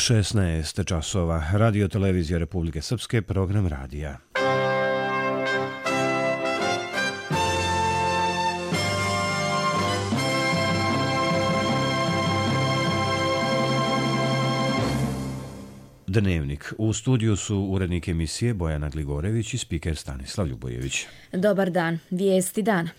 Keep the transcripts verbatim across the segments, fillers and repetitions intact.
šesnaest časova. Radio televizija Republike Srpske, program radija. Dnevnik. U studiju su urednik emisije Bojana Gligorević i spiker Stanislav Ljubojević. Dobar dan. Vijesti dana.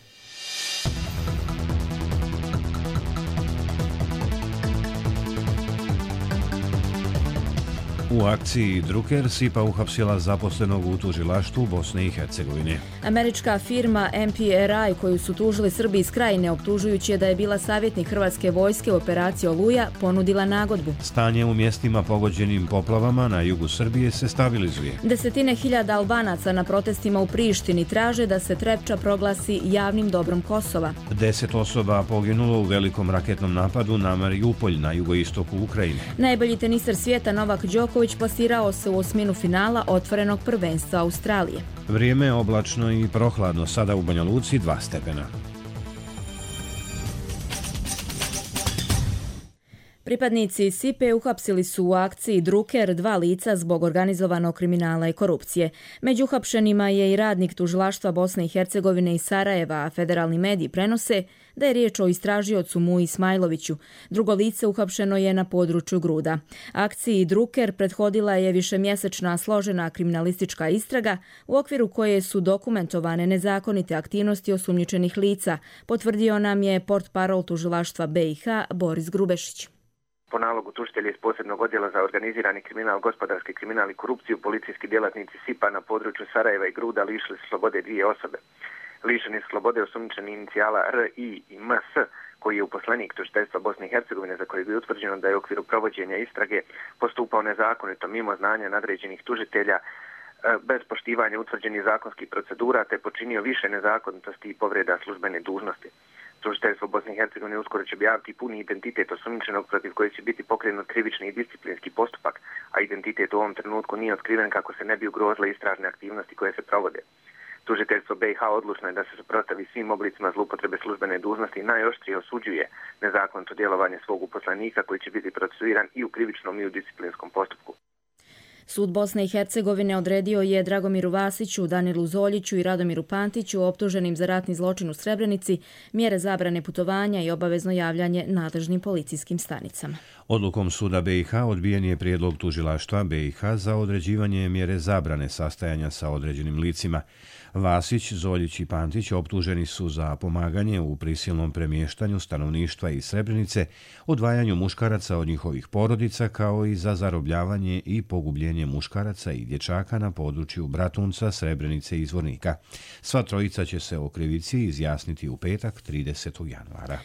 U akciji Drucker SIPA uhapsila zaposlenog u tužilaštvu Bosne i Hercegovine. Američka firma M P R I, koju su tužili Srbi iz Krajine optužujući je da je bila savjetnik Hrvatske vojske u operaciji Oluja, ponudila nagodbu. Stanje u mjestima pogođenim poplavama na jugu Srbije se stabilizuje. Desetine hiljada Albanaca na protestima u Prištini traže da se Trepča proglasi javnim dobrom Kosova. Deset osoba poginulo u velikom raketnom napadu na Mariupolj na jugoistoku Ukrajine. Najbolji teniser svijeta Novak Đoković plasirao se u osminu finala otvorenog prvenstva Australije. Vrijeme je oblačno i prohladno, sada u Banja Luci dva stepena. Pripadnici SIPE uhapsili su u akciji Drucker dva lica zbog organizovanog kriminala i korupcije. Među uhapšenima je i radnik tužilaštva Bosne i Hercegovine iz Sarajeva, a federalni mediji prenose da je riječ o istražiocu Muji Ismajloviću. Drugo lice uhapšeno je na području Gruda. Akciji Drucker prethodila je višemjesečna složena kriminalistička istraga u okviru koje su dokumentovane nezakonite aktivnosti osumnjičenih lica, potvrdio nam je portparol tužilaštva B i H Boris Grubešić. Po nalogu tužitelja iz posebnog odjela za organizirani kriminal, gospodarski kriminal i korupciju, policijski djelatnici SIPA na području Sarajeva i Gruda lišili su slobode dvije osobe. Lišeni su slobode osumnjičeni inicijala R I i M S, koji je uposlenik tužiteljstva Bosne i Hercegovine, za kojeg je utvrđeno da je u okviru provođenja istrage postupao nezakonito mimo znanja nadređenih tužitelja, bez poštivanja utvrđenih zakonskih procedura, te počinio više nezakonitosti i povreda službene dužnosti. Tužiteljstvo Bosne i Hercegovine uskoro će objaviti puni identitet osumnjičenog protiv koji će biti pokrenut krivični i disciplinski postupak, a identitet u ovom trenutku nije otkriven kako se ne bi ugrozile istražne aktivnosti koje se provode. Tužiteljstvo B i H odlučno je da se suprotstavi svim oblicima zloupotrebe službene dužnosti i najoštrije osuđuje nezakonito djelovanje svog uposlenika koji će biti procesuiran i u krivičnom i u disciplinskom postupku. Sud Bosne i Hercegovine odredio je Dragomiru Vasiću, Danilu Zoljiću i Radomiru Pantiću, optuženim za ratni zločin u Srebrenici, mjere zabrane putovanja i obavezno javljanje nadležnim policijskim stanicama. Odlukom suda B i H odbijen je prijedlog tužilaštva B i H za određivanje mjere zabrane sastajanja sa određenim licima. Vasić, Zoljić i Pantić optuženi su za pomaganje u prisilnom premještanju stanovništva iz Srebrenice, odvajanju muškaraca od njihovih porodica, kao i za zarobljavanje i pogubljenje muškaraca i dječaka na području Bratunca, Srebrenice i Zvornika. Sva trojica će se o krivici izjasniti u petak tridesetog januara.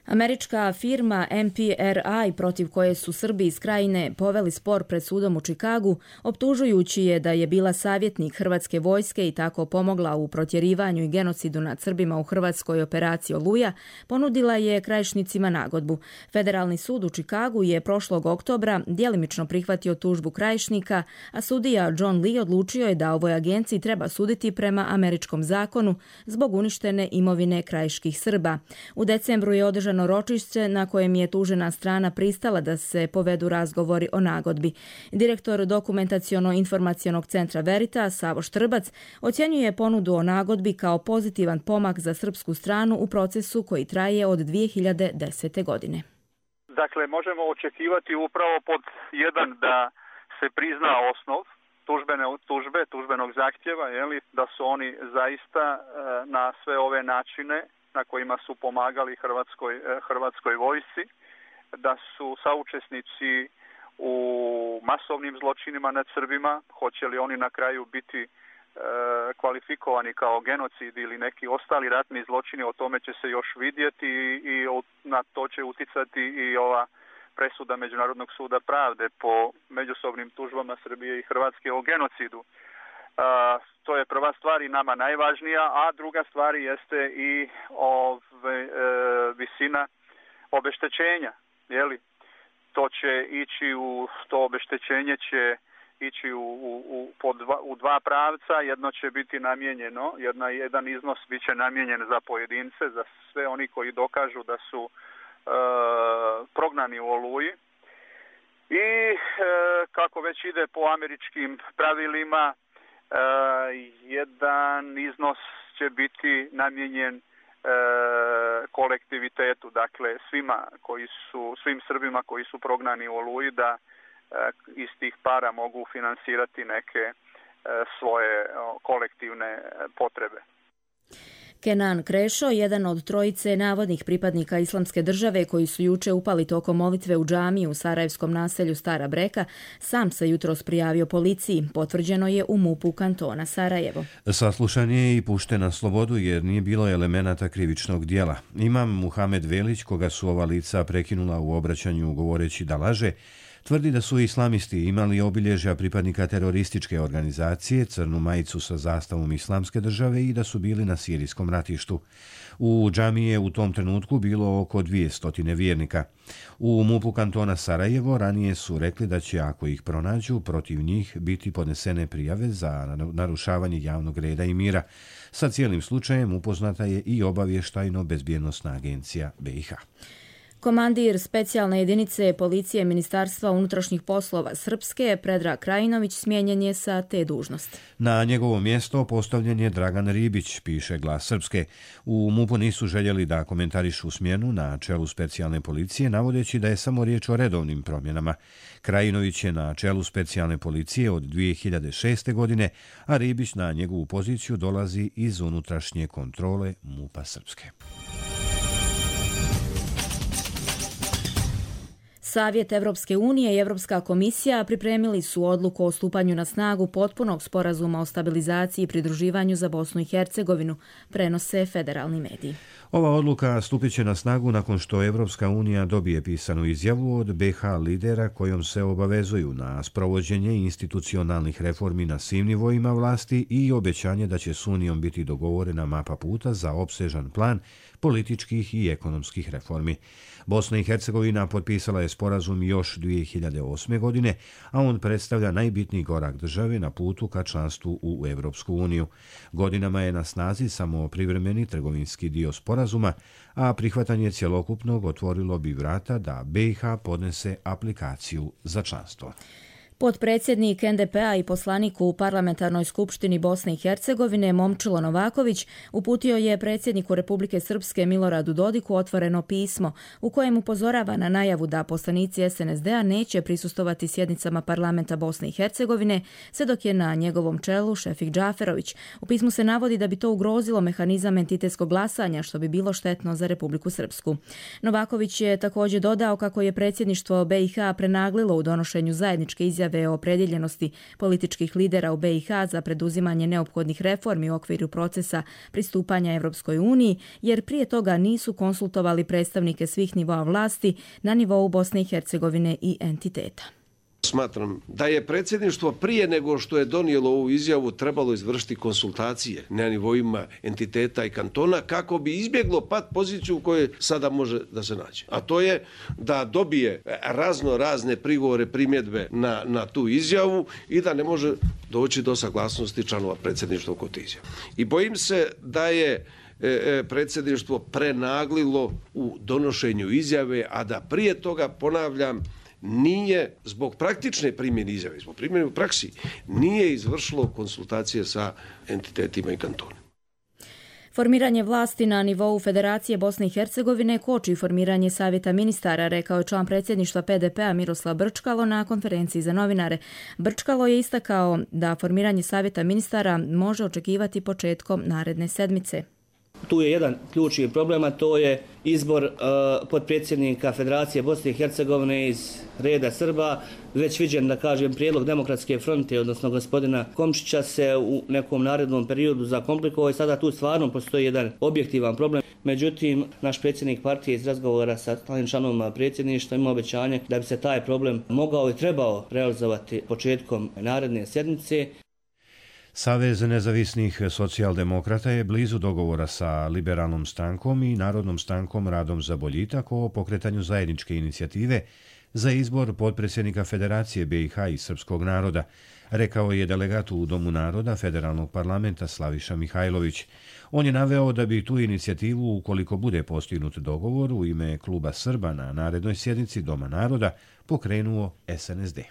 Američka firma M P R I, protiv koje su Srbi iz Krajine poveli spor pred sudom u Čikagu, optužujući je da je bila savjetnik Hrvatske vojske i tako pomogla u protjerivanju i genocidu nad Srbima u Hrvatskoj operaciji Oluja, ponudila je Krajišnicima nagodbu. Federalni sud u Čikagu je prošlog oktobra djelimično prihvatio tužbu Krajišnika, a sudija John Lee odlučio je da ovoj agenciji treba suditi prema američkom zakonu zbog uništene imovine krajiških Srba. U decembru je održano ročišće na kojem je tužena strana pristala da se povedu razgovori o nagodbi. Direktor dokumentaciono-informacionog centra Verita, Savo Štrbac, ocjenjuje ponudu o nagodbi kao pozitivan pomak za srpsku stranu u procesu koji traje od dvije hiljade desete. godine. Dakle, možemo očekivati upravo pod jedan da se prizna osnov tužbene tužbe, tužbenog zahtjeva, jeli, da su oni zaista na sve ove načine na kojima su pomagali Hrvatskoj, Hrvatskoj vojsci, da su saučesnici u masovnim zločinima nad Srbima, hoće li oni na kraju biti e, kvalifikovani kao genocid ili neki ostali ratni zločini, o tome će se još vidjeti i, i na to će uticati i ova presuda Međunarodnog suda pravde po međusobnim tužbama Srbije i Hrvatske o genocidu. Uh, to je prva stvar i nama najvažnija, a druga stvar jeste i ove, e, visina obeštećenja. Jeli? To će ići u, to obeštećenje će ići u, u, u, po dva, u dva pravca. Jedno će biti namijenjeno, jedna, jedan iznos bit će namijenjen za pojedince, za sve oni koji dokažu da su e, prognani u Oluji. I e, kako već ide po američkim pravilima, e, jedan iznos će biti namijenjen e, kolektivitetu, dakle svima koji su, svim Srbima koji su prognani u Oluji, da e, iz tih para mogu finansirati neke e, svoje o, kolektivne potrebe. Kenan Krešo, jedan od trojice navodnih pripadnika Islamske države koji su juče upali tokom molitve u džamiju u sarajevskom naselju Stara Breka, sam se jutros prijavio policiji. Potvrđeno je u MUP-u kantona Sarajevo. Saslušan je i pušten na slobodu jer nije bilo elemenata krivičnog dijela. Imam Muhamed Velić, koga su ova lica prekinula u obraćanju govoreći da laže, tvrdi da su islamisti imali obilježja pripadnika terorističke organizacije, crnu majicu sa zastavom Islamske države i da su bili na sirijskom ratištu. U džamiji je u tom trenutku bilo oko dvjesto vjernika. U MUP-u kantona Sarajevo ranije su rekli da će, ako ih pronađu, protiv njih biti podnesene prijave za narušavanje javnog reda i mira. Sa cijelim slučajem upoznata je i obavještajno-bezbjednosna agencija B i H. Komandir specijalne jedinice policije Ministarstva unutrašnjih poslova Srpske, Predrag Krajinović, smijenjen je sa te dužnosti. Na njegovo mjesto postavljen je Dragan Ribić, piše Glas Srpske. U MUP-u nisu željeli da komentarišu smjenu na čelu specijalne policije, navodeći da je samo riječ o redovnim promjenama. Krajinović je na čelu specijalne policije od dvije hiljade šeste. godine, a Ribić na njegovu poziciju dolazi iz unutrašnje kontrole MUP-a Srpske. Savjet Evropske unije i Evropska komisija pripremili su odluku o stupanju na snagu potpunog sporazuma o stabilizaciji i pridruživanju za Bosnu i Hercegovinu, prenose federalni mediji. Ova odluka stupit će na snagu nakon što Evropska unija dobije pisanu izjavu od B i H lidera kojom se obavezuju na sprovođenje institucionalnih reformi na svim nivoima vlasti i obećanje da će s Unijom biti dogovorena mapa puta za opsežan plan političkih i ekonomskih reformi. Bosna i Hercegovina potpisala je sporazum još dvije hiljade osme. godine, a on predstavlja najbitniji korak države na putu ka članstvu u Evropsku uniju. Godinama je na snazi samo privremeni trgovinski dio sporazuma, a prihvatanje cjelokupnog otvorilo bi vrata da B i H podnese aplikaciju za članstvo. Potpredsjednik N D P-a i poslanik u Parlamentarnoj skupštini Bosne i Hercegovine Momčilo Novaković uputio je predsjedniku Republike Srpske Miloradu Dodiku otvoreno pismo u kojem upozorava na najavu da poslanici S N S D-a neće prisustovati sjednicama parlamenta Bosne i Hercegovine, sve dok je na njegovom čelu Šefik Džaferović. U pismu se navodi da bi to ugrozilo mehanizam entitetskog glasanja, što bi bilo štetno za Republiku Srpsku. Novaković je također dodao kako je predsjedništvo B i H prenaglilo u donošenju zajedničke izjave o opredjeljenosti političkih lidera u B i H za preduzimanje neophodnih reformi u okviru procesa pristupanja Evropskoj uniji, jer prije toga nisu konsultovali predstavnike svih nivoa vlasti na nivou Bosne i Hercegovine i entiteta. Smatram da je predsjedništvo prije nego što je donijelo ovu izjavu trebalo izvršiti konsultacije na nivoima entiteta i kantona kako bi izbjeglo pad poziciju u kojoj sada može da se nađe. A to je da dobije razno razne prigovore, primjedbe na, na tu izjavu i da ne može doći do saglasnosti članova predsjedništva kod izjave. I bojim se da je e, predsjedništvo prenaglilo u donošenju izjave, a da prije toga, ponavljam, nije zbog praktične primjene izjave, zbog primjene u praksi, nije izvršilo konsultacije sa entitetima i kantonima. Formiranje vlasti na nivou Federacije Bosne i Hercegovine koči formiranje Savjeta ministara, rekao je član predsjedništva P D P-a Miroslav Brčkalo na konferenciji za novinare. Brčkalo je istakao da formiranje Savjeta ministara može očekivati početkom naredne sedmice. Tu je jedan ključni problem, a to je izbor uh, potpredsjednika Federacije Bosne i Hercegovine iz reda Srba. Već viđen, da kažem, prijedlog Demokratske fronte, odnosno gospodina Komšića, se u nekom narednom periodu zakomplikovao i sada tu stvarno postoji jedan objektivan problem. Međutim, naš predsjednik partije iz razgovora sa stalnim članovima predsjedništva ima obećanje da bi se taj problem mogao i trebao realizovati početkom naredne sjednice. Savez nezavisnih socijaldemokrata je blizu dogovora sa Liberalnom strankom i Narodnom strankom Radom za boljitak o pokretanju zajedničke inicijative za izbor potpredsjednika Federacije B i H i srpskog naroda, rekao je delegat u Domu naroda Federalnog parlamenta Slaviša Mihajlović. On je naveo da bi tu inicijativu, ukoliko bude postignut dogovor u ime Kluba Srba na narednoj sjednici Doma naroda, pokrenuo S N S D.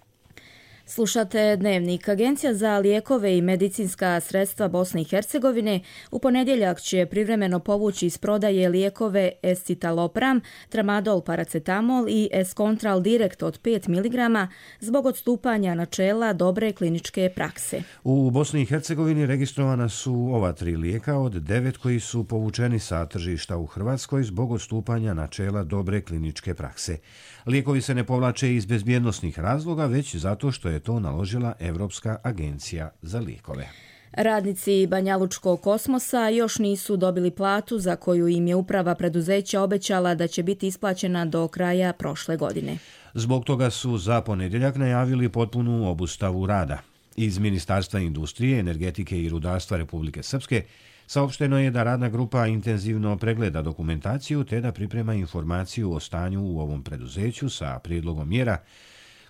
Slušate Dnevnik. Agencija za lijekove i medicinska sredstva Bosne i Hercegovine u ponedjeljak će privremeno povući iz prodaje lijekove escitalopram, tramadol paracetamol i escontral direkt od pet miligrama zbog odstupanja načela dobre kliničke prakse. U Bosni i Hercegovini registrovana su ova tri lijeka od devet koji su povučeni sa tržišta u Hrvatskoj zbog odstupanja načela dobre kliničke prakse. Lijekovi se ne povlače iz bezbjednosnih razloga, već zato što je to naložila Evropska agencija za lijekove. Radnici Banjalučkog kosmosa još nisu dobili platu za koju im je uprava preduzeća obećala da će biti isplaćena do kraja prošle godine. Zbog toga su za ponedjeljak najavili potpunu obustavu rada. Iz Ministarstva industrije, energetike i rudarstva Republike Srpske saopšteno je da radna grupa intenzivno pregleda dokumentaciju te da priprema informaciju o stanju u ovom preduzeću sa prijedlogom mjera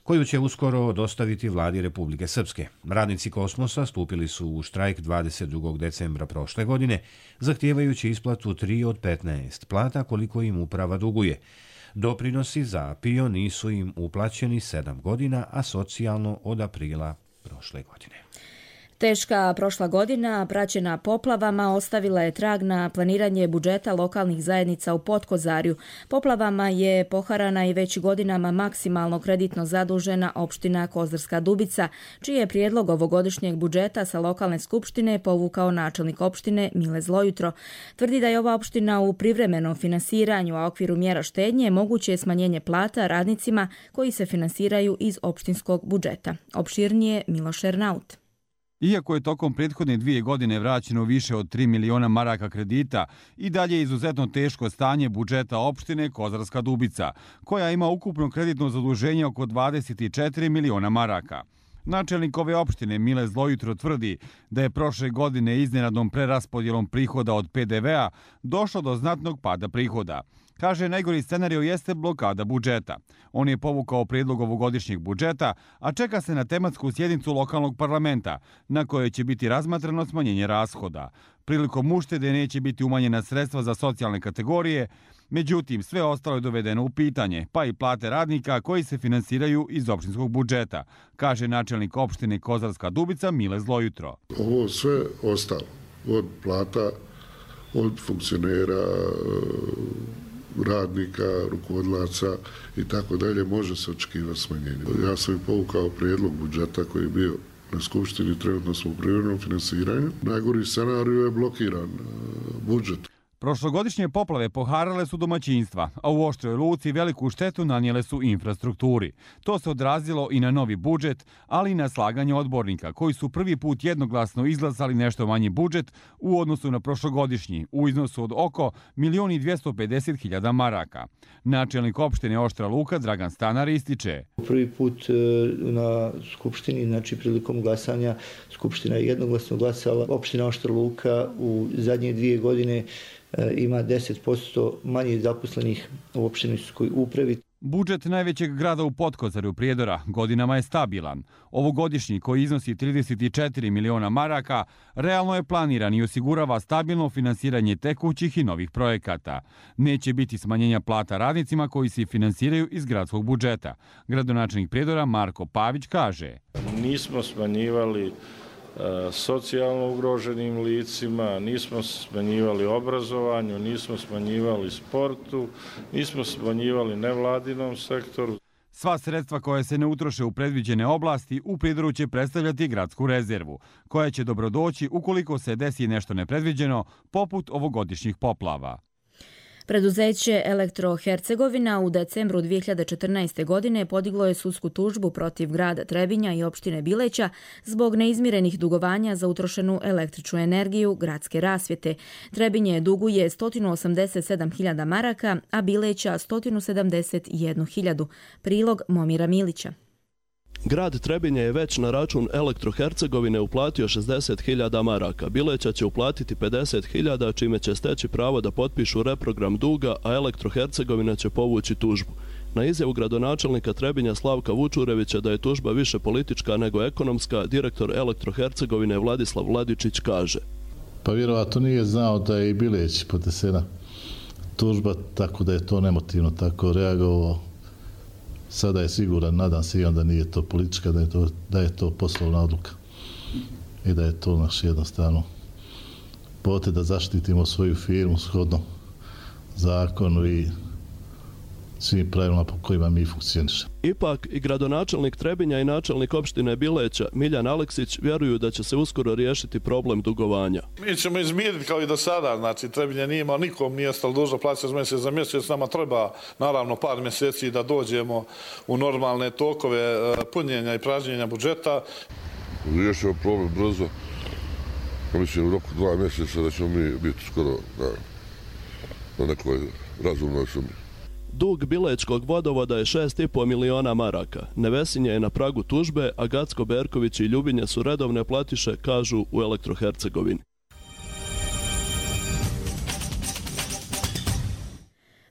koju će uskoro dostaviti vladi Republike Srpske. Radnici Kosmosa stupili su u štrajk dvadeset drugog decembra prošle godine, zahtijevajući isplatu tri od petnaest plata koliko im uprava duguje. Doprinosi za P I O nisu im uplaćeni sedam godina, a socijalno od aprila prošle godine. Teška prošla godina, praćena poplavama, ostavila je trag na planiranje budžeta lokalnih zajednica u Potkozarju. Poplavama je poharana i već godinama maksimalno kreditno zadužena opština Kozarska Dubica, čiji je prijedlog ovogodišnjeg budžeta sa lokalne skupštine povukao načelnik opštine Mile Zlojutro. Tvrdi da je ova opština u privremenom finansiranju, a u okviru mjera štednje moguće je smanjenje plata radnicima koji se finansiraju iz opštinskog budžeta. Opširnije Miloš Ernaut. Iako je tokom prethodne dvije godine vraćeno više od tri miliona maraka kredita, i dalje je izuzetno teško stanje budžeta opštine Kozarska Dubica, koja ima ukupno kreditno zaduženje oko dvadeset četiri miliona maraka. Načelnik ove opštine Mile Zlojutro tvrdi da je prošle godine iznenadnom preraspodjelom prihoda od P D V-a došlo do znatnog pada prihoda. Kaže, najgori scenario jeste blokada budžeta. On je povukao prijedlog ovogodišnjeg budžeta, a čeka se na tematsku sjednicu lokalnog parlamenta, na kojoj će biti razmatrano smanjenje rashoda. Prilikom uštede neće biti umanjena sredstva za socijalne kategorije, međutim sve ostalo je dovedeno u pitanje, pa i plate radnika koji se finansiraju iz opštinskog budžeta, kaže načelnik opštine Kozarska Dubica Mile Zlojutro. Ovo sve ostalo, od plata, od funkcionera, radnika, rukovodilaca i tako dalje, može se očekivati smanjenje. Ja sam i povukao prijedlog budžeta koji je bio na skupštini, trenutno smo u privremenom finansiranju. Najgori scenarij je blokiran budžet. Prošlogodišnje poplave poharale su domaćinstva, a u Oštroj Luci veliku štetu nanijele su infrastrukturi. To se odrazilo i na novi budžet, ali i na slaganje odbornika, koji su prvi put jednoglasno izglasali nešto manji budžet u odnosu na prošlogodišnji, u iznosu od oko milion i dvjesto pedeset hiljada maraka. Načelnik opštine Oštra Luka Dragan Stanar ističe. Prvi put na skupštini, znači prilikom glasanja, skupština je jednoglasno glasala. Opština Oštra Luka u zadnje dvije godine ima deset posto manje zaposlenih u opštinskoj upravi. Budžet najvećeg grada u Potkozarju Prijedora godinama je stabilan. Ovogodišnji, koji iznosi trideset četiri miliona maraka, realno je planiran i osigurava stabilno finansiranje tekućih i novih projekata. Neće biti smanjenja plata radnicima koji se finansiraju iz gradskog budžeta. Gradonačelnik Prijedora Marko Pavić kaže. Nismo smanjivali socijalno ugroženim licima, nismo smanjivali obrazovanju, nismo smanjivali sportu, nismo smanjivali nevladinom sektoru. Sva sredstva koje se ne utroše u predviđene oblasti u Prijedoru će predstavljati gradsku rezervu, koja će dobrodoći ukoliko se desi nešto nepredviđeno, poput ovogodišnjih poplava. Preduzeće Elektro Hercegovina u decembru dvije hiljade četrnaeste. godine podiglo je sudsku tužbu protiv grada Trebinja i opštine Bileća zbog neizmirenih dugovanja za utrošenu električnu energiju gradske rasvjete. Trebinje duguje sto osamdeset sedam hiljada maraka, a Bileća sto sedamdeset jednu hiljadu. Prilog Momira Milića. Grad Trebinje je već na račun Elektro Hercegovine uplatio šezdeset hiljada maraka. Bileća će uplatiti pedeset hiljada, čime će steći pravo da potpišu reprogram duga, a Elektro Hercegovina će povući tužbu. Na izjavu gradonačelnika Trebinja Slavka Vučurevića da je tužba više politička nego ekonomska, direktor Elektro-Hercegovine Vladislav Vladičić kaže: Pa vjerovatno nije znao da je i Bileć podnesena tužba, tako da je to nemotivno tako reagovao. Sada je siguran, nadam se i onda nije to politička, da je to, da je to poslovna odluka i da je to naš jednostavno pote da zaštitimo svoju firmu shodno zakonu i svim pravilima po kojima mi funkcionišemo. Ipak i gradonačelnik Trebinja i načelnik opštine Bileća Miljan Aleksić vjeruju da će se uskoro riješiti problem dugovanja. Mi ćemo izmiriti kao i do sada, znači Trebinja nije imao nikom, nije ostalo dužno plaćati mjesec za mjesec, nama treba naravno par mjeseci da dođemo u normalne tokove punjenja i pražnjenja budžeta. Riješimo problem brzo, mislim u roku dva mjeseca da ćemo mi biti skoro na, na nekoj razumnoj sumi. Dug Bilečkog vodovoda je šest i po miliona maraka. Nevesinje je na pragu tužbe, a Gacko Berković i Ljubinje su redovne platiše, kažu u Elektro-Hercegovini.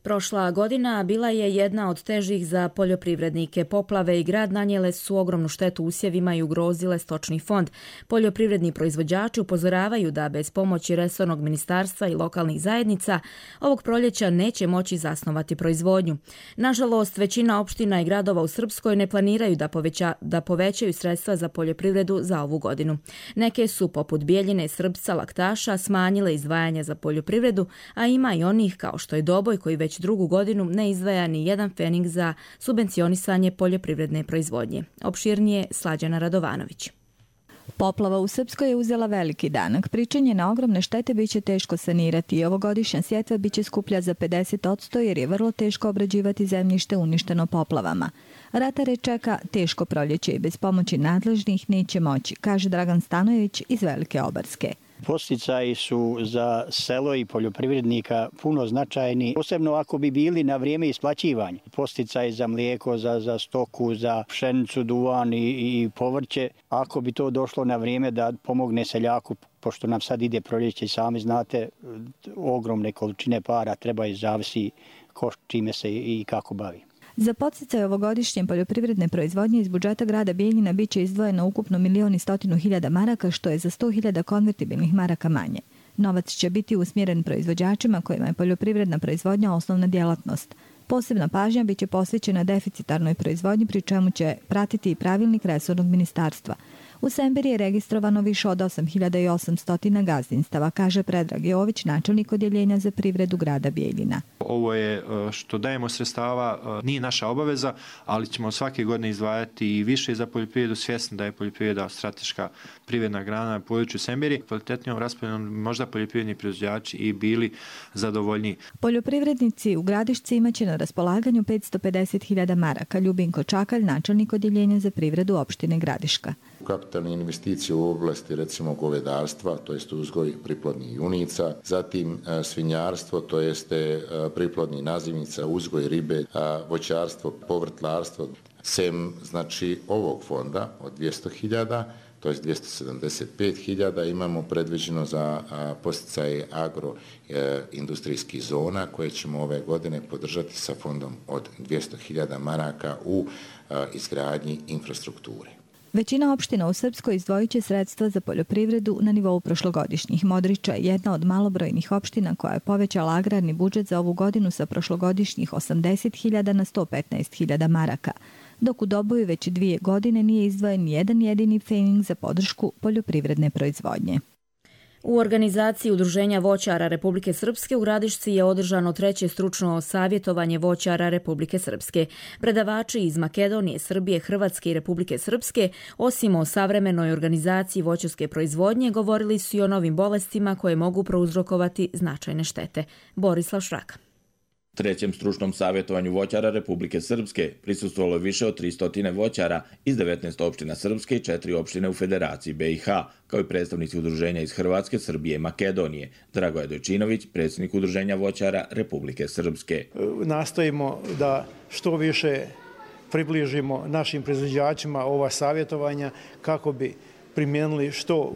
Prošla godina bila je jedna od težih za poljoprivrednike. Poplave i grad nanijele su ogromnu štetu usjevima i ugrozile stočni fond. Poljoprivredni proizvođači upozoravaju da bez pomoći resornog ministarstva i lokalnih zajednica ovog proljeća neće moći zasnovati proizvodnju. Nažalost, većina opština i gradova u Srpskoj ne planiraju da, poveća, da povećaju sredstva za poljoprivredu za ovu godinu. Neke su, poput Bijeljine, Srpca, Laktaša, smanjile izdvajanja za poljoprivredu, a ima i onih kao što je Doboj koji već drugu godinu ne izdvaja ni jedan fening za subvencionisanje poljoprivredne proizvodnje. Opširnije Slađana Radovanović. Poplava u Srpskoj je uzela veliki danak. Pričanje na ogromne štete biće teško sanirati i ovogodišnja sjetva biće skuplja za pedeset posto jer je vrlo teško obrađivati zemljište uništeno poplavama. Ratare čeka teško proljeće i bez pomoći nadležnih neće moći, kaže Dragan Stanojević iz Velike Obarske. Posticaji su za selo i poljoprivrednika puno značajni, posebno ako bi bili na vrijeme isplaćivanja. Posticaji za mlijeko, za, za stoku, za pšenicu, duvan i, i povrće. Ako bi to došlo na vrijeme da pomogne seljaku, pošto nam sad ide proljeće i sami znate, ogromne količine para treba i zavisi ko čime se i kako bavi. Za podsticaj ovogodišnje poljoprivredne proizvodnje iz budžeta grada Bijeljina biće izdvojeno ukupno milion i stotinu hiljada maraka, što je za sto hiljada konvertibilnih maraka manje. Novac će biti usmjeren proizvođačima kojima je poljoprivredna proizvodnja osnovna djelatnost. Posebna pažnja biće posvećena deficitarnoj proizvodnji, pri čemu će pratiti i pravilnik resornog ministarstva. U Sembiri je registrovano više od osam hiljada osamsto gazdinstava, kaže Predrag Jović, načelnik odjeljenja za privredu grada Bijeljina. Ovo je što dajemo sredstava, nije naša obaveza, ali ćemo svake godine izdvajati i više za poljoprivredu, svjesni da je poljoprivreda strateška privredna grana na području Sembiri. Kvalitetnijom raspodjelom možda poljoprivredni proizvođači i bili zadovoljni. Poljoprivrednici u Gradišci imaće na raspolaganju petsto pedeset hiljada maraka. Ljubinko Čakalj, načelnik odjeljenja za privredu opštine Gradiška. Kapitalne investicije u oblasti recimo govedarstva, to jest uzgoj priplodnih junica, zatim svinjarstvo, to jeste priplodnih nazivnica, uzgoj ribe, voćarstvo, povrtlarstvo, sem znači ovog fonda od dvjesto hiljada, to jest dvjesto sedamdeset pet hiljada imamo predviđeno za posticaje agroindustrijskih zona koje ćemo ove godine podržati sa fondom od dvjesto hiljada maraka u izgradnji infrastrukture. Većina opština u Srpskoj izdvojit će sredstva za poljoprivredu na nivou prošlogodišnjih. Modriča je jedna od malobrojnih opština koja je povećala agrarni budžet za ovu godinu sa prošlogodišnjih osamdeset hiljada na sto petnaest hiljada maraka, dok u Doboju već dvije godine nije izdvojen jedan jedini fening za podršku poljoprivredne proizvodnje. U organizaciji Udruženja voćara Republike Srpske u Gradišci je održano treće stručno savjetovanje voćara Republike Srpske. Predavači iz Makedonije, Srbije, Hrvatske i Republike Srpske, osim o savremenoj organizaciji voćarske proizvodnje, govorili su i o novim bolestima koje mogu prouzrokovati značajne štete. Borislav Šraka. Trećem stručnom savjetovanju voćara Republike Srpske prisustvovalo je više od tristo voćara iz devetnaest opština Srpske i četiri opštine u Federaciji B i H, kao i predstavnici udruženja iz Hrvatske, Srbije i Makedonije. Dragoje Dojčinović, predsjednik Udruženja voćara Republike Srpske. Nastojimo da što više približimo našim proizvođačima ova savjetovanja kako bi primijenili što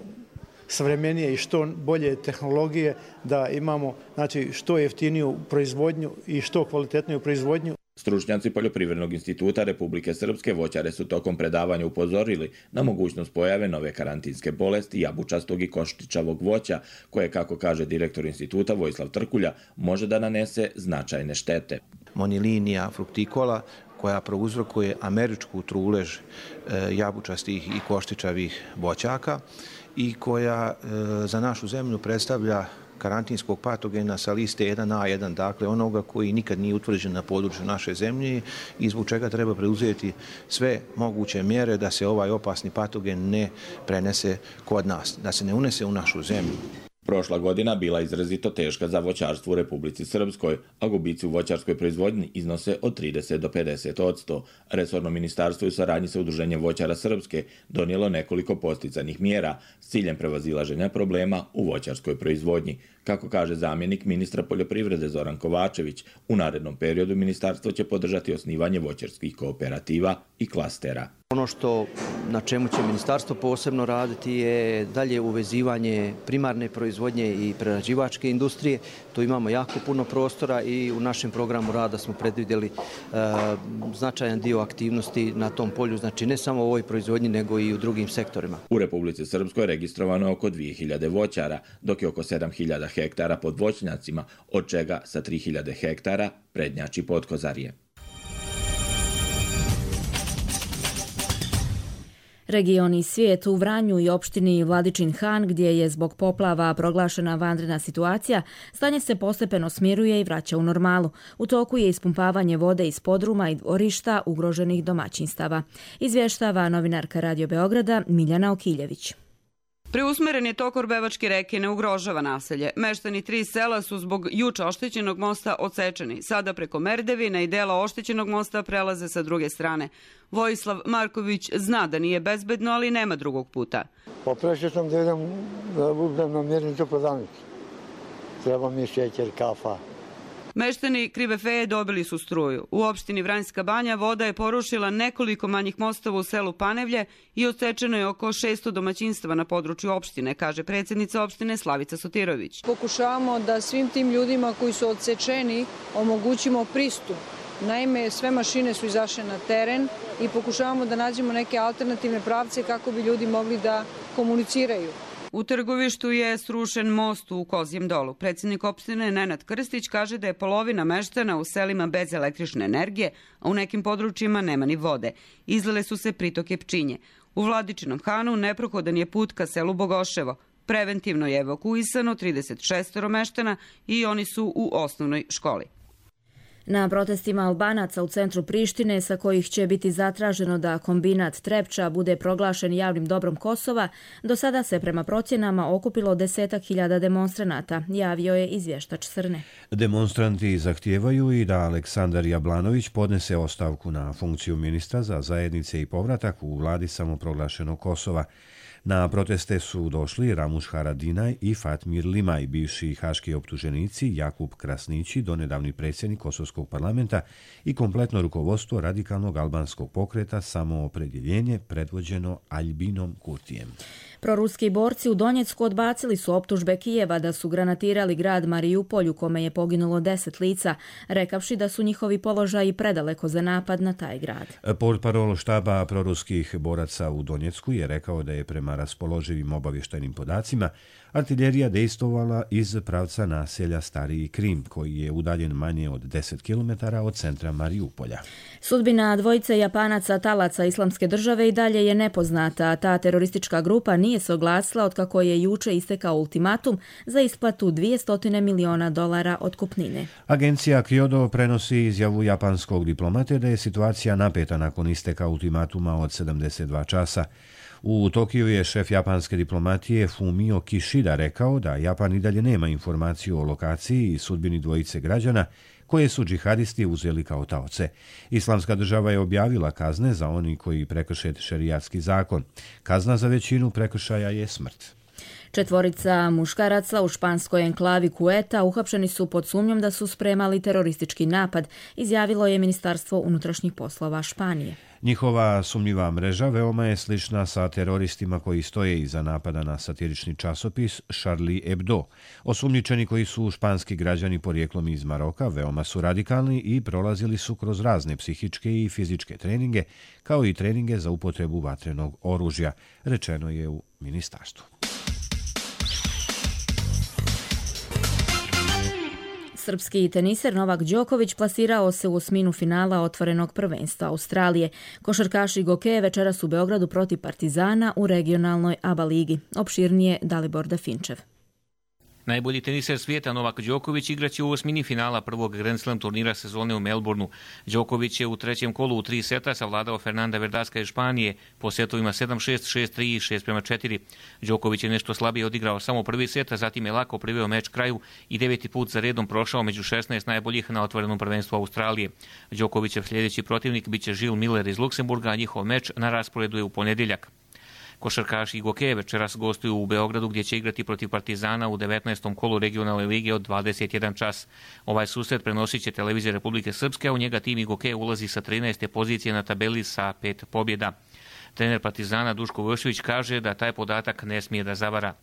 savremenije i što bolje tehnologije, da imamo znači, što jeftiniju proizvodnju i što kvalitetniju proizvodnju. Stručnjaci Poljoprivrednog instituta Republike Srpske voćare su tokom predavanja upozorili na mogućnost pojave nove karantinske bolesti jabučastog i koštičavog voća, koje, kako kaže direktor instituta Vojislav Trkulja, može da nanese značajne štete. Monilinija fruktikola, koja prouzrokuje američku trulež jabučastih i koštičavih voćaka i koja za našu zemlju predstavlja karantinskog patogena sa liste jedan A jedan, dakle onoga koji nikad nije utvrđen na području naše zemlje i zbog čega treba preuzeti sve moguće mjere da se ovaj opasni patogen ne prenese kod nas, da se ne unese u našu zemlju. Prošla godina bila izrazito teška za voćarstvo u Republici Srpskoj, a gubici u voćarskoj proizvodnji iznose od trideset do pedeset odsto. Resorno ministarstvo u saradnji sa Udruženjem voćara Srpske donijelo nekoliko podsticajnih mjera s ciljem prevazilaženja problema u voćarskoj proizvodnji. Kako kaže zamjenik ministra poljoprivrede Zoran Kovačević, u narednom periodu ministarstvo će podržati osnivanje voćarskih kooperativa i klastera. Ono što na čemu će ministarstvo posebno raditi je dalje uvezivanje primarne proizvodnje i prerađivačke industrije. Tu imamo jako puno prostora i u našem programu rada smo predvidjeli e, značajan dio aktivnosti na tom polju, znači ne samo u ovoj proizvodnji nego i u drugim sektorima. U Republici Srpskoj registrovano je oko dvije hiljade voćara, dok je oko sedam hiljada hektara pod voćnjacima, od čega sa tri hiljade hektara prednjači Potkozarje. Region i svijet u Vranju i opštini Vladičin Han, gdje je zbog poplava proglašena vanredna situacija, stanje se postepeno smiruje i vraća u normalu. U toku je ispumpavanje vode iz podruma i dvorišta ugroženih domaćinstava. Izvještava novinarka Radio Beograda Miljana Okiljević. Preusmeren je tok Orbevačke reke, ne ugrožava naselje. Meštani tri sela su zbog juče oštećenog mosta odsečeni. Sada preko Merdevina i dela oštećenog mosta prelaze sa druge strane. Vojislav Marković zna da nije bezbedno, ali nema drugog puta. Poprešao sam da idem da budem na mirnicu prodavnicu. Treba mi šećer, kafa. Meštani Krive Feje dobili su struju. U opštini Vranjska Banja voda je porušila nekoliko manjih mostova u selu Panevlje i odsečeno je oko šesto domaćinstava na području opštine, kaže predsjednica opštine Slavica Sotirović. Pokušavamo da svim tim ljudima koji su odsečeni omogućimo pristup. Naime, sve mašine su izašle na teren i pokušavamo da nađemo neke alternativne pravce kako bi ljudi mogli da komuniciraju. U Trgovištu je srušen most u Kozjem dolu. Predsjednik opštine Nenad Krstić kaže da je polovina meštana u selima bez električne energije, a u nekim područjima nema ni vode. Izlile su se pritoke Pčinje. U Vladičinom Hanu neprohodan je put ka selu Bogoševo. Preventivno je evakuisano trideset šest meštana i oni su u osnovnoj školi. Na protestima Albanaca u centru Prištine, sa kojih će biti zatraženo da kombinat Trepča bude proglašen javnim dobrom Kosova, do sada se prema procjenama okupilo desetak hiljada demonstranata, javio je izvještač Srne. Demonstranti zahtijevaju i da Aleksandar Jablanović podnese ostavku na funkciju ministra za zajednice i povratak u vladi samoproglašenog Kosova. Na proteste su došli Ramuš Haradinaj i Fatmir Limaj, bivši haški optuženici, Jakub Krasnići, donedavni predsjednik Kosovskog parlamenta i kompletno rukovodstvo radikalnog albanskog pokreta Samoopredjeljenje predvođeno Albinom Kurtijem. Proruski borci u Donjecku odbacili su optužbe Kijeva da su granatirali grad Marijupolj u kome je poginulo deset lica, rekavši da su njihovi položaji predaleko za napad na taj grad. Portparol štaba proruskih boraca u Donjecku je rekao da je prema raspoloživim obavještajnim podacima artiljerija dejstvovala iz pravca naselja Stariji Krim, koji je udaljen manje od deset kilometara od centra Marijupolja. Sudbina dvojice Japanaca talaca Islamske države i dalje je nepoznata, a ta teroristička grupa nije se oglasila otkako je juče istekao ultimatum za isplatu dvjesto miliona dolara otkupnine. Agencija Kyodo prenosi izjavu japanskog diplomate da je situacija napeta nakon isteka ultimatuma od sedamdeset dva časa. U Tokiju je šef japanske diplomatije Fumio Kishida rekao da Japan i dalje nema informaciju o lokaciji i sudbini dvojice građana koje su džihadisti uzeli kao taoce. Islamska država je objavila kazne za oni koji prekrše šerijatski zakon. Kazna za većinu prekršaja je smrt. Četvorica muškaraca u španskoj enklavi Kueta uhapšeni su pod sumnjom da su spremali teroristički napad, izjavilo je Ministarstvo unutrašnjih poslova Španije. Njihova sumnjiva mreža veoma je slična sa teroristima koji stoje iza napada na satirični časopis Charlie Hebdo. Osumnjičeni koji su španski građani porijeklom iz Maroka veoma su radikalni i prolazili su kroz razne psihičke i fizičke treninge, kao i treninge za upotrebu vatrenog oružja, rečeno je u ministarstvu. Srpski teniser Novak Đoković plasirao se u osminu finala otvorenog prvenstva Australije. Košarkaš Igor Ke večeras u Beogradu protiv Partizana u regionalnoj A B A ligi. Opširnije Dalibor Dafinčev. Najbolji teniser svijeta Novak Đoković igraće u osmini finala prvog Grand Slam turnira sezone u Melbourneu. Đoković je u trećem kolu u tri seta savladao Fernanda Verdaska iz Španije po setovima sedam šest, šest tri i šest prema četiri. Đoković je nešto slabije odigrao samo prvi set, a zatim je lako priveo meč kraju i deveti put za redom prošao među šesnaest najboljih na otvorenom prvenstvu Australije. Đokovićev sljedeći protivnik biće Gilles Miller iz Luksemburga, a njihov meč na rasporedu je u ponedjeljak. Košarkaš Igor Ke večeras gostuju u Beogradu gdje će igrati protiv Partizana u devetnaestom kolu regionalne lige od dvadeset jedan čas. Ovaj susret prenosit će televizija Republike Srpske, a u njega tim Igor Ke ulazi sa trinaeste pozicije na tabeli sa pet pobjeda. Trener Partizana Duško Vujošević kaže da taj podatak ne smije da zavara.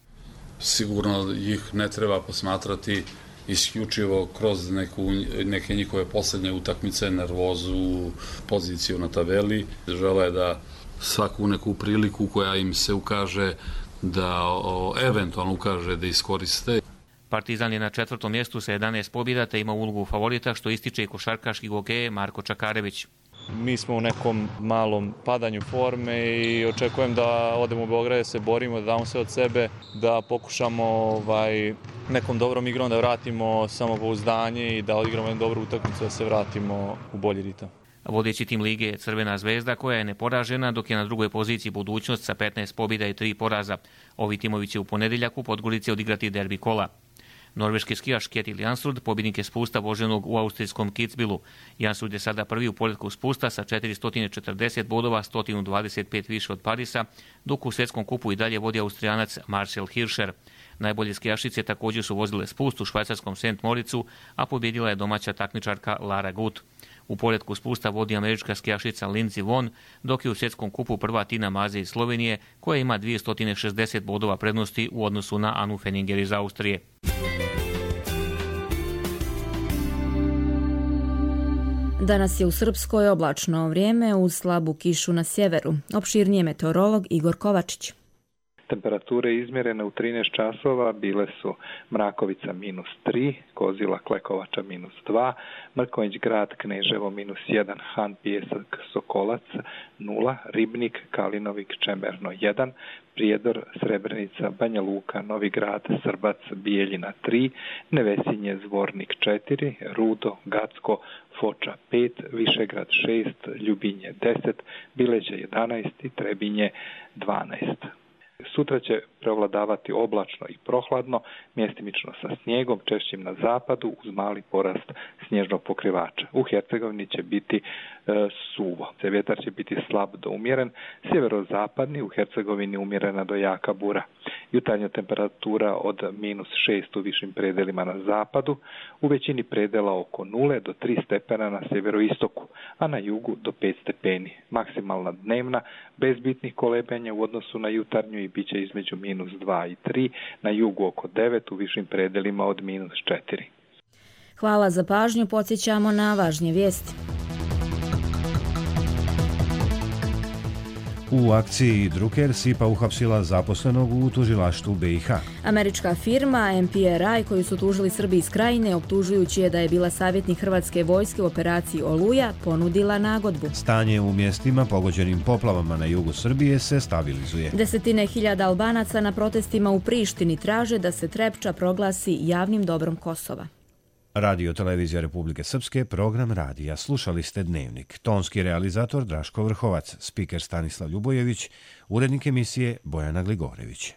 Sigurno ih ne treba posmatrati isključivo kroz neku, neke njihove posljednje utakmice, nervozu, poziciju na tabeli. Žele da svaku neku priliku koja im se ukaže da o, eventualno ukaže da iskoriste. Partizan je na četvrtom mjestu sa jedanaest pobjeda te ima ulogu favorita, što ističe i košarkaš Igor Ke Marko Čakarević. Mi smo u nekom malom padanju forme i očekujem da odemo u Beograd, da se borimo, da damo sve od sebe, da pokušamo ovaj, nekom dobrom igrom da vratimo samopouzdanje i da odigramo jednu dobru utakmicu, da se vratimo u bolji ritam. Vodeći tim lige je Crvena zvezda koja je neporažena, dok je na drugoj poziciji Budućnost sa petnaest pobjeda i tri poraza. Ovi timovi će u ponedjeljak u Podgorici odigrati derbi kola. Norveški skijaš Kjetil Jansrud pobjednik je spusta voženog u austrijskom Kitzbühelu. Jansrud je sada prvi u poretku spusta sa četiristo četrdeset bodova, sto dvadeset pet više od Parisa, dok u svjetskom kupu i dalje vodi Austrijanac Marcel Hirscher. Najbolje skijašice također su vozile spust u švajcarskom Saint Moricu, a pobjedila je domaća takmičarka Lara Gut. U poretku spusta vodi američka skijašica Lindsey Vonn, dok je u svjetskom kupu prva Tina Maze iz Slovenije, koja ima dvjesto šezdeset bodova prednosti u odnosu na Anu Fenninger iz Austrije. Danas je u Srpskoj oblačno vrijeme uz slabu kišu na sjeveru. Opširnije meteorolog Igor Kovačić. Temperature izmjerene u trinaest časova bile su Mrakovica minus tri, Kozila Klekovača minus dva, Mrkonjić grad Kneževo minus jedan, Han Pijesak Sokolac nula, Ribnik Kalinovik Čemerno jedan, Prijedor Srebrenica Banja Luka Novi Grad Srbac Bijeljina tri, Nevesinje Zvornik četiri, Rudo Gacko Foča pet, Višegrad šest, Ljubinje deset, Bileđe jedanaest i Trebinje dvanaest. Sutra će prevladavati oblačno i prohladno, mjestimično sa snijegom, češćim na zapadu uz mali porast snježnog pokrivača. U Hercegovini će biti e, suvo. Vjetar će biti slab do umjeren, sjeverozapadni, u Hercegovini umjerena do jaka bura. Jutarnja temperatura od minus šest u višim predelima na zapadu, u većini predela oko nule do tri stepena na sjeveroistoku, a na jugu do pet stepeni. Maksimalna dnevna, bez bitnih kolebenja u odnosu na jutarnju i bit će između minus dva i tri, na jugu oko devet, u višim predelima od minus četiri. Hvala za pažnju, podsjećamo na važnije vijesti. U akciji Drucker S I P A uhapsila zaposlenog u tužilaštvu B i H. Američka firma M P R I koju su tužili Srbi iz Krajine, optužujući je da je bila savjetnik Hrvatske vojske u operaciji Oluja, ponudila nagodbu. Stanje u mjestima pogođenim poplavama na jugu Srbije se stabilizuje. Desetine hiljada Albanaca na protestima u Prištini traže da se Trepča proglasi javnim dobrom Kosova. Radio Televizija Republike Srpske, program radija. Slušali ste Dnevnik. Tonski realizator Draško Vrhovac, spiker Stanislav Ljubojević, urednik emisije Bojana Gligorević.